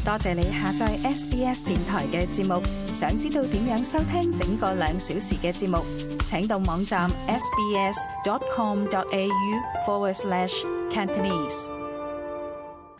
多謝你下載 SBS 電台嘅節目。想知道點樣收聽整個2小時嘅節目，請到網站 sbs.com.au/Cantonese。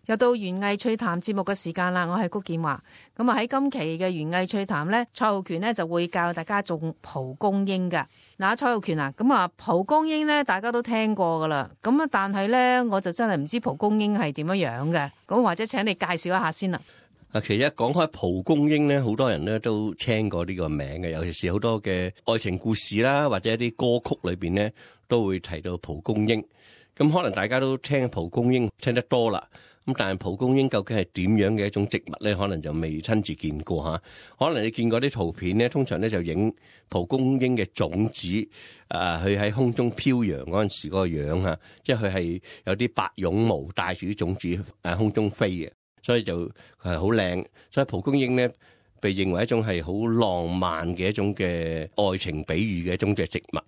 又到園藝趣談節目嘅時間啦，我係谷建華。咁啊喺今期嘅園藝趣談呢，蔡浩權呢就會教大家種蒲公英噶。嗱，蔡浩權啊，咁啊蒲公英呢大家都聽過噶啦，咁啊但係呢我就真係唔知蒲公英係點樣樣嘅，咁或者請你介紹一下先啦。其實講開蒲公英咧，好多人咧都聽過呢個名嘅，尤其是好多嘅愛情故事啦，或者一啲歌曲裏邊咧都會提到蒲公英。咁可能大家都聽蒲公英聽得多啦，咁但係蒲公英究竟係點樣嘅一種植物咧？可能就未親自見過嚇。可能你見過啲圖片咧，通常咧就影蒲公英嘅種子，佢喺空中飄揚嗰陣時嗰個樣嚇，即係佢係有啲白絨毛帶住啲種子空中飛嘅。所以就係好靚，所以蒲公英咧被認為一種係好浪漫嘅一種嘅愛情比喻嘅一種嘅植物。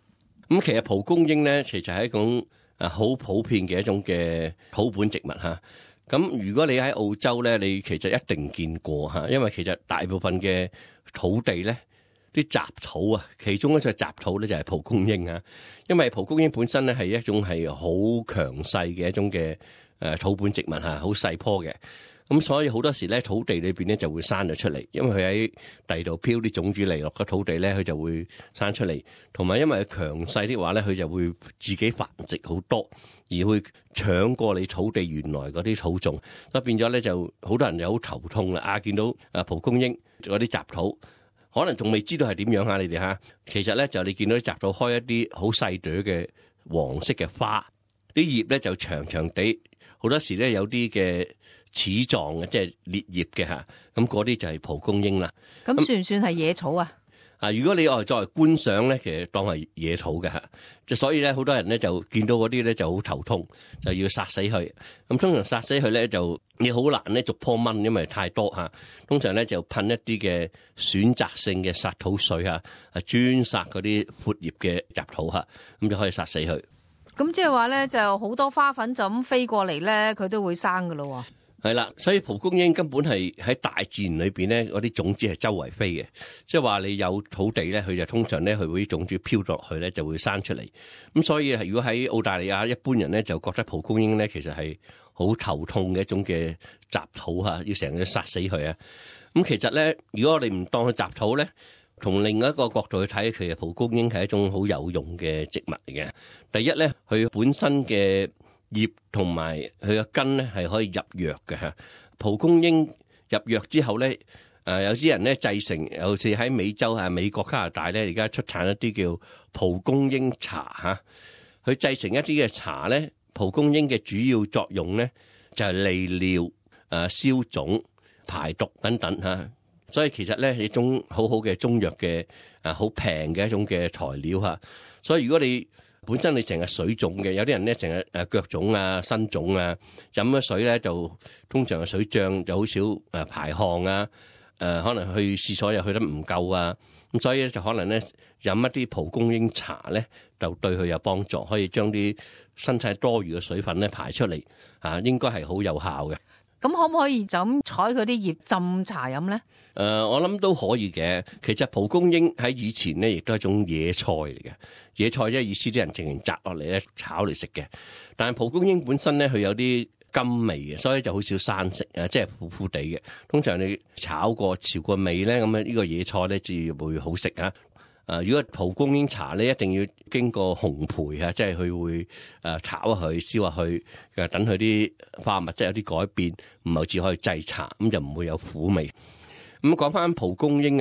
咁其實蒲公英咧，其實係一種好普遍嘅一種嘅土本植物嚇。咁如果你喺澳洲咧，你其實一定見過嚇，因為其實大部分嘅土地咧，啲雜草啊，其中一隻雜草咧就係蒲公英嚇。因為蒲公英本身咧係一種係好強勢嘅一種嘅土本植物嚇，好細棵嘅。咁所以好多時咧，土地裏邊咧就會生咗出嚟，因為佢喺地度飄啲種子嚟落個土地咧，佢就會生出嚟。同埋因為佢強勢的話咧，佢就會自己繁殖好多，而會搶過你土地原來嗰啲土種，所以變咗咧就好多人就好頭痛啦。見到蒲公英嗰啲雜土，可能仲未知道係點樣嚇你哋嚇。其實咧就你見到啲雜土開一啲好細朵嘅黃色嘅花，啲葉咧就長長地，好多時咧有啲嘅齒狀嘅，即係裂葉嘅嚇，咁嗰啲就係蒲公英啦。咁算唔算係野草啊？如果你作為觀賞咧，其實當係野草嘅嚇，就所以咧好多人咧就見到嗰啲咧就好頭痛，就要殺死佢。咁通常殺死佢咧就你好難咧逐棵掹，因為太多嚇。通常咧就噴一啲嘅選擇性嘅殺土水嚇，專殺嗰啲闊葉嘅雜土嚇，咁就可以殺死佢。咁即係話咧，就好多花粉就咁飛過嚟咧，佢都會生噶咯。係啦，所以蒲公英根本係喺大自然裏邊咧，嗰啲種子係周圍飛嘅，即係話你有土地咧，佢就通常咧佢會啲種子飄落去咧就會生出嚟。咁所以如果喺澳大利亞，一般人咧就覺得蒲公英咧其實係好頭痛嘅一種嘅雜土嚇，要成日殺死佢啊。咁其實咧，如果我哋唔當佢雜土咧，從另一個角度去睇，其實蒲公英係一種好有用嘅植物嚟嘅。第一咧，佢本身嘅葉同埋佢嘅根咧係可以入藥嘅嚇。蒲公英入藥之後咧，有啲人咧製成，尤其是喺美洲美國、加拿大咧，而家出產一啲叫蒲公英茶嚇。佢製成一啲嘅茶咧，蒲公英嘅主要作用咧就係利尿、消腫、排毒等等嚇。所以其實咧係一種好好嘅中藥嘅好平嘅一種嘅材料嚇。所以如果你本身你成日水腫嘅，有啲人咧成日腳腫啊、身腫啊，飲咗水咧就通常嘅水脹，就好少排汗啊，可能去廁所又去得唔夠啊，咁所以咧就可能咧飲一啲蒲公英茶咧，就對佢有幫助，可以將啲身體多餘嘅水分咧排出嚟，應該係好有效嘅。咁可唔可以就咁採佢啲葉浸茶飲咧？我諗都可以嘅。其實蒲公英喺以前咧，亦都係一種野菜嚟嘅。野菜即係意思啲人淨係摘落嚟咧炒嚟食嘅。但係蒲公英本身咧，佢有啲甘味嘅，所以就好少生食啊，即係苦苦地嘅。通常你炒過、潮過味咧，咁呢個野菜咧至會好食啊。如果蒲公英茶咧，一定要經過烘焙啊，即係佢會炒佢、燒下去，等佢啲化學物質有啲改變，唔係只可以製茶，咁就唔會有苦味。咁講翻蒲公英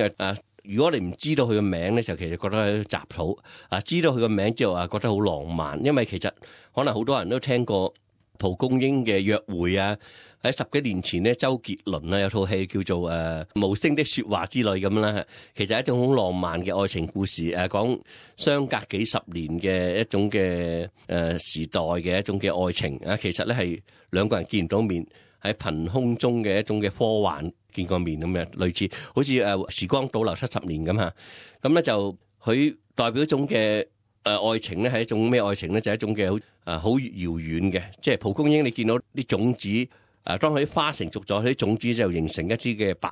如果你唔知道佢個名咧，就其實覺得係雜草。知道佢個名之後覺得好浪漫，因為其實可能好多人都聽過蒲公英嘅約會啊。喺10幾年前咧，周杰倫有套戲叫做無聲的說話之類咁啦，其實係一種好浪漫嘅愛情故事，講相隔幾十年嘅一種嘅時代嘅一種嘅愛情啊。其實咧係兩個人見唔到面，喺憑空中嘅一種嘅科幻見過面咁樣，類似好似時光倒流70年咁嚇。咁咧就佢代表一種嘅愛情咧，係一種咩愛情咧？就係一種嘅好遙遠嘅，即係蒲公英你見到啲種子當佢啲花成熟咗，佢啲種子就形成一啲嘅白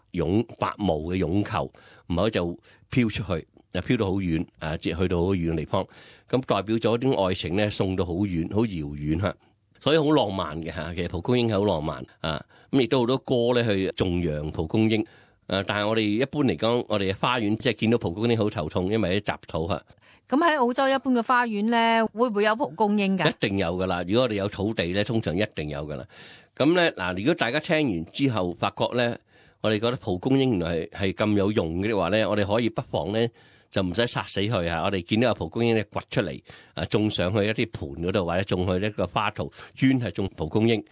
毛嘅絨球，唔係就飄出去，飄到好遠，去到好遠嘅地方，咁代表咗啲愛情咧送到好遠，好遙遠嚇，所以好浪漫嘅嚇。其實蒲公英係好浪漫啊，咁亦都好多歌咧去頌揚蒲公英。但係我哋一般嚟講，我哋嘅花園即係見到蒲公英好頭痛，因為啲雜土嚇。咁喺澳洲一般嘅花園咧，會唔會有蒲公英㗎？一定有噶啦！如果我哋有土地咧，通常一定有噶啦。咁咧嗱，如果大家聽完之後發覺咧，我哋覺得蒲公英原來係咁有用嘅話咧，我哋可以不妨咧就唔使殺死佢嚇。我哋見到有蒲公英咧掘出嚟種上去一啲盤嗰度，或者種去一個花槽，專係種蒲公英。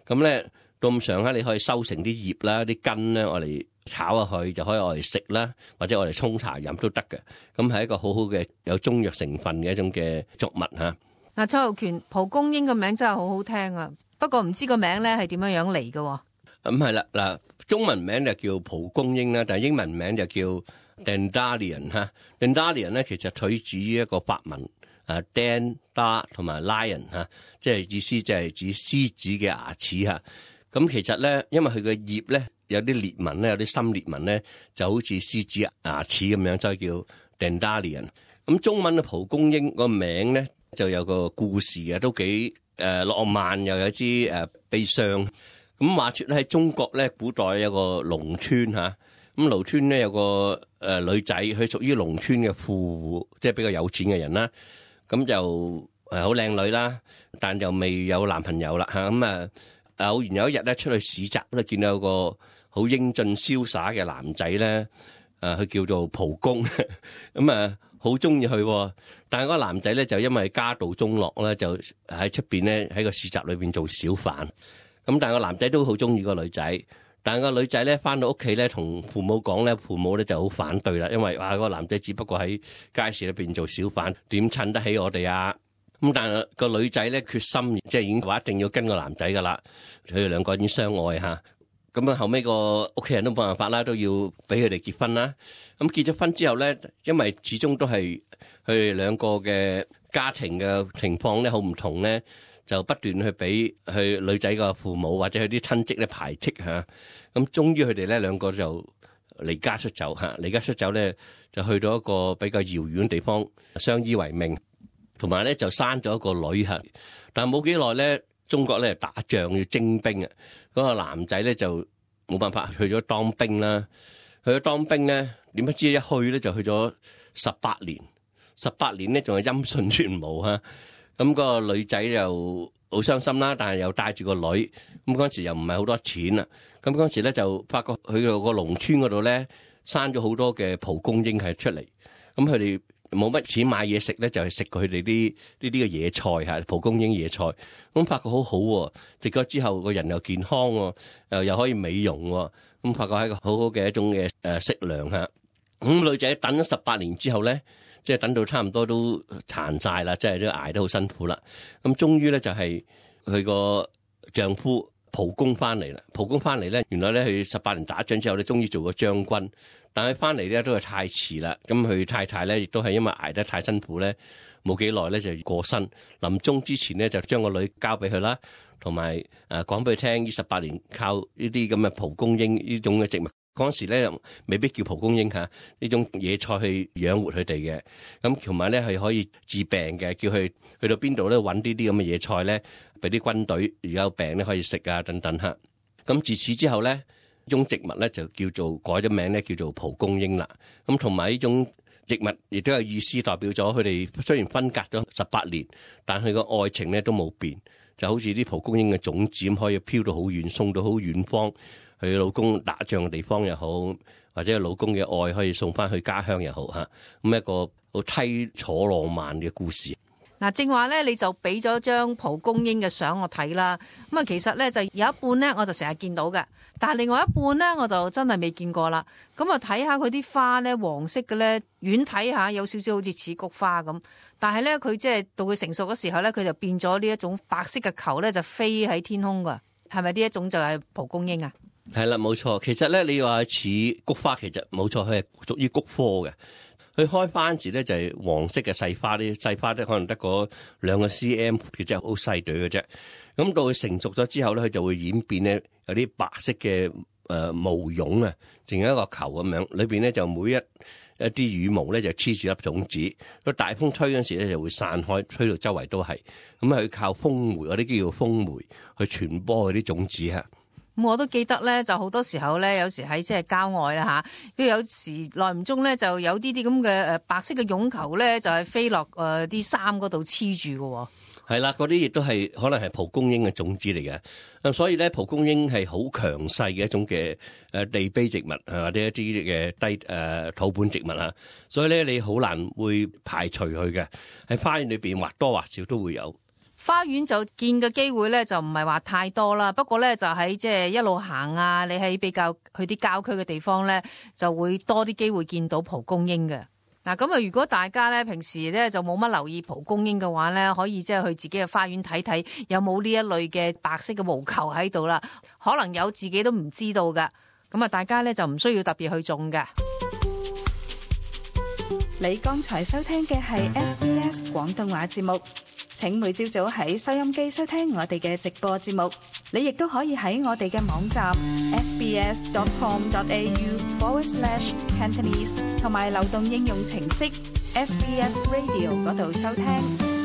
咁咧到咁上下，你可以收成啲葉啦、啲根咧，我哋炒下去就可以我哋食啦，或者我哋沖茶飲都得嘅。咁係一個好好嘅有中藥成分嘅一種嘅作物嚇。嗱，蔡浩權，蒲公英個名真係好好聽啊！不過唔知個名咧係點樣樣嚟嘅？咁係啦，嗱，中文名就叫蒲公英啦，但係英文名就叫 Dandelion 嚇。Dandelion 咧其實取自於一個法文，Dan 同埋 Lion 嚇，即係意思就係指獅子嘅牙齒嚇。咁其實咧，因為佢嘅葉咧有啲裂紋咧，有啲深裂紋咧，就好似獅子牙齒咁樣，所以叫 Dandelion。咁中文嘅蒲公英個名咧就有個故事嘅，都幾浪漫，又有啲悲傷。咁話說咧喺中國咧，古代有個農村嚇，咁農村咧有個女仔，佢屬於農村嘅富戶，即係比較有錢嘅人啦。咁就好靚女啦，但就未有男朋友啦嚇。咁偶然有一日咧出去市集咧，見到有個好英俊瀟灑嘅男仔咧，佢叫做蒲公，咁好中意佢。但係嗰個男仔咧就因為家道中落咧，就喺出邊咧喺個市集裏邊做小販。咁但係個男仔都好中意個女仔，但係個女仔咧翻到屋企咧同父母講咧，父母咧就好反對啦，因為個男仔只不過喺街市裏邊做小販，點襯得起我哋啊？咁但係個女仔咧決心，即係已經話一定要跟個男仔噶啦，佢哋兩個已經相愛嚇。咁後尾個屋企人都冇辦法啦，都要俾佢哋結婚啦。咁結咗婚之後咧，因為始終都係佢哋兩個嘅家庭嘅情況咧好唔同咧，就不斷去俾佢女仔個父母或者佢啲親戚咧排斥嚇。咁終於佢哋咧兩個就離家出走嚇，離家出走咧就去到一個比較遙遠嘅地方相依為命。同埋咧就生咗一個女嚇，但係冇幾耐咧，中國咧打仗要徵兵啊，嗰個男仔咧就冇辦法去咗當兵啦。去咗當兵咧，點不知一去咧就去咗18年，18年咧仲係音訊全無嚇。咁個女仔又好傷心啦，但係又帶住個女，咁嗰陣時又唔係好多錢啦。咁嗰陣時咧就發覺去到個農村嗰度咧，生咗好多嘅蒲公英係出嚟，咁佢哋冇乜錢買嘢食咧，就係食佢哋啲呢啲嘅野菜嚇，蒲公英野菜。咁發覺好好喎，食咗之後個人又健康喎，又可以美容喎。咁發覺係一個好好嘅一種嘅食糧嚇。咁女仔等咗18年之後咧，即係等到差唔多都殘晒啦，即係都捱得好辛苦啦。咁終於咧就係佢個丈夫蒲公翻嚟啦。蒲公翻嚟咧，原來咧佢18年打仗之後咧，終於做咗將軍。但係翻嚟咧都係太遲啦，咁佢太太咧亦都係因為捱得太辛苦咧，冇幾耐咧就過身。臨終之前咧就將個女交俾佢啦，同埋講俾佢聽，呢18年靠呢啲咁嘅蒲公英呢種嘅植物，嗰陣時咧未必叫蒲公英嚇，呢種野菜去養活佢哋嘅。咁同埋咧係可以治病嘅，叫佢去到邊度咧揾呢啲咁嘅野菜咧，俾啲軍隊如果有病咧可以食啊等等嚇。咁自此之後咧，呢種植物咧就叫做改咗名咧，叫做蒲公英啦。咁同埋呢種植物亦都有意思，代表咗佢哋雖然分隔咗18年，但佢個愛情咧都冇變，就好似啲蒲公英嘅種子咁，可以飄到好遠，送到好遠方。佢老公打仗嘅地方又好，或者老公嘅愛可以送翻去家鄉又好嚇。咁一個好淒楚浪漫嘅故事。嗱，正話咧，你就俾咗張蒲公英嘅相我睇啦。咁啊，其實咧就有一半咧，我就成日見到嘅，但係另外一半咧，我就真係未見過啦。咁啊，睇下佢啲花咧，黃色嘅咧，遠睇下有少少好似似菊花咁，但係咧佢即係到佢成熟嘅時候咧，佢就變咗呢一種白色嘅球咧，就飛喺天空噶。係咪呢一種就係蒲公英啊？係啦，冇錯。其實咧，你話似菊花，其實冇錯，佢係屬於菊科嘅。佢開花時咧就係黃色嘅細花，啲細花咧可能得個2個 cm，佢真係好細朵嘅啫。咁到佢成熟咗之後咧，佢就會演變咧有啲白色嘅毛絨啊，淨係一個球咁樣，裏邊咧就每一啲羽毛咧就黐住粒種子，個大風吹嗰時咧就會散開，吹到周圍都係。咁佢靠風媒，嗰啲叫做風媒去傳播嗰啲種子嚇。咁我都記得咧，就好多時候咧，有時喺即係郊外啦嚇，跟住有時耐唔中咧，就有啲咁嘅白色嘅絨球咧，就係飛落啲衫嗰度黐住嘅。係啦，嗰啲亦都係可能係蒲公英嘅種子嚟嘅。咁所以咧，蒲公英係好強勢嘅一種嘅地卑植物或者一啲嘅低土本植物啊。所以咧，你好難會排除佢嘅，喺花園裏邊或多或少都會有。花園就見嘅機會咧就唔係話太多啦，不過咧就喺即係一路行啊，你喺比較去啲郊區嘅地方咧，就會多啲機會見到蒲公英嘅。嗱，咁啊，如果大家咧平時咧就冇乜留意蒲公英嘅話咧，可以即係去自己嘅花園睇睇有冇呢一類嘅白色嘅毛球喺度啦，可能有自己都唔知道噶。咁啊，大家咧就唔需要特別去種嘅。你剛才收聽嘅係 SBS 廣東話節目。請每朝早喺收音機收聽我哋嘅直播節目，你亦都可以喺我哋嘅網站 sbs.com.au/Cantonese 同埋流動應用程式 SBS Radio 嗰度收聽。